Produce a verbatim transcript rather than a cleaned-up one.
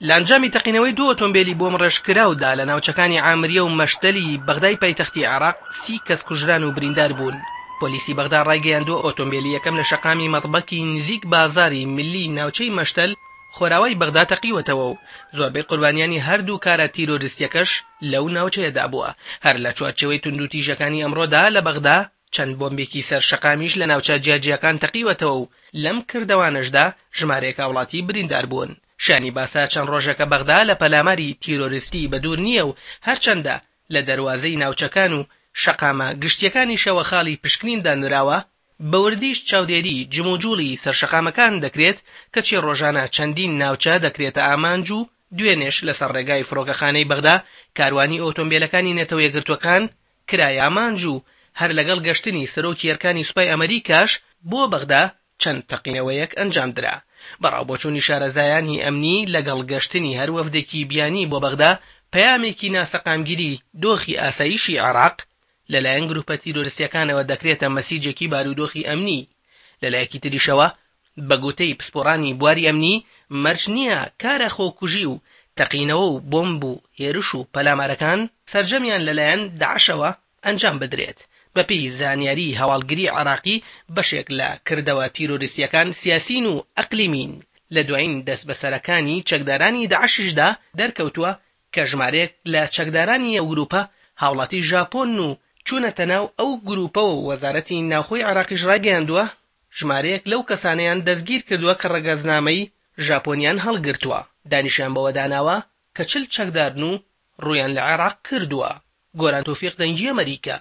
لە ئەنجامی تەقینەوەی دوو ئۆتۆمبێلی بۆمبڕێژکراودا لە ناوچەکانی عامریە و مەشتەلی بەغدای پایتەختی عێراق سی کەس کوژران و بریندار بوون. پۆلیسی بەغدا ڕایگەیاندووە ئۆتۆمبێلی یەکەم لە شەقامی مەطبەکی نزیک بازاری ملی ناوچەی مەشتەل خۆراوای بەغدا تەقیوەتەوە و زۆربەی قوربانیانی هەردوو کارە تیرۆریستیەکەش لەو ناوچەیەدا بووە. هەر لە چوارچێوەی توندوتیژەکانی ئەمڕۆدا لە بەغدا چەند بۆمبێکی سەر شەقامیش لە ناوچە جیاجیاکان تەقیوەتەوە و لەم کردەوانەشدا ژمارەیەک هاوڵاتی بریندار بوون. شانی باسە چەند ڕۆژێکە بەغدا لە پەلاماری تیرۆریستی بەدوور نییە و هەرچەندە لە دەروازەی ناوچەکان و شەقامە گشتیەکانیشەوە خاڵی پشکنین دانراوە، بەوردیش چاودێری جموجوڵی سەرشەقامەکان دەکرێت، کەچی ڕۆژانە چەندین ناوچە دەکرێتە ئامانج و دوێنێش لەسەر ڕێگای فڕۆکەخانەی بەغدا کاروانی ئۆتۆمبیلەکانی نەتەوە یەکگرتووەکان کرایە ئامانج و هەر لەگەڵ گەشتنی سەرۆکی ئەرکانی سوپای ئەمریکاش بۆ بەغدا چەند تەقینەوەیەک ئەنجام درا. بەڕاوبۆچوونی شارەزایانی ئەمنی لەگەڵ گەشتنی هەر وەفدێکی بیانی بۆ بەغدا پەیامێکی ناسەقامگیری دۆخی ئاسایشی عێراق لەلایەن گروپە تیرۆریستیەکانەوە دەکرێتە مەسیجێکی بارودۆخی ئەمنی. لەلایەکی تریشەوە بە گوتەی پسپۆڕانی بواری ئەمنی مەرج نییە کارە خۆکوژی و تەقینەوە و بۆمب و هێرش و پەلامارەکان سەرجەمیان لەلایەن داعشەوە ئەنجام بدرێت. بەپێی زانیاری هەواڵگری عێراقی بەشێک لە کردەوە تیرۆریستیەکان سیاسین و ئەقلیمین. لە دوایین دەستبەسەرەکانی چەکدارانی داعشیشدا دەرکەوتووە کە ژمارەیەک لە چەکدارانی ئەو گروپە هاوڵاتی ژاپۆن و چوونەتە ناو ئەو گروپەوە و وەزارەتی ناوخۆی عێراقیش ڕایگەیاندووە ژمارەیەک لەو کەسانەیان دەستگیر کردووە کە ڕەگەزنامەی ژاپۆنیان هەڵگرتووە. دانیشیان بەوە داناوە کە چل چەکدارن و ڕوویان لە عێراق کردووە. گۆران تۆفیق، دەنگی ئەمریکا.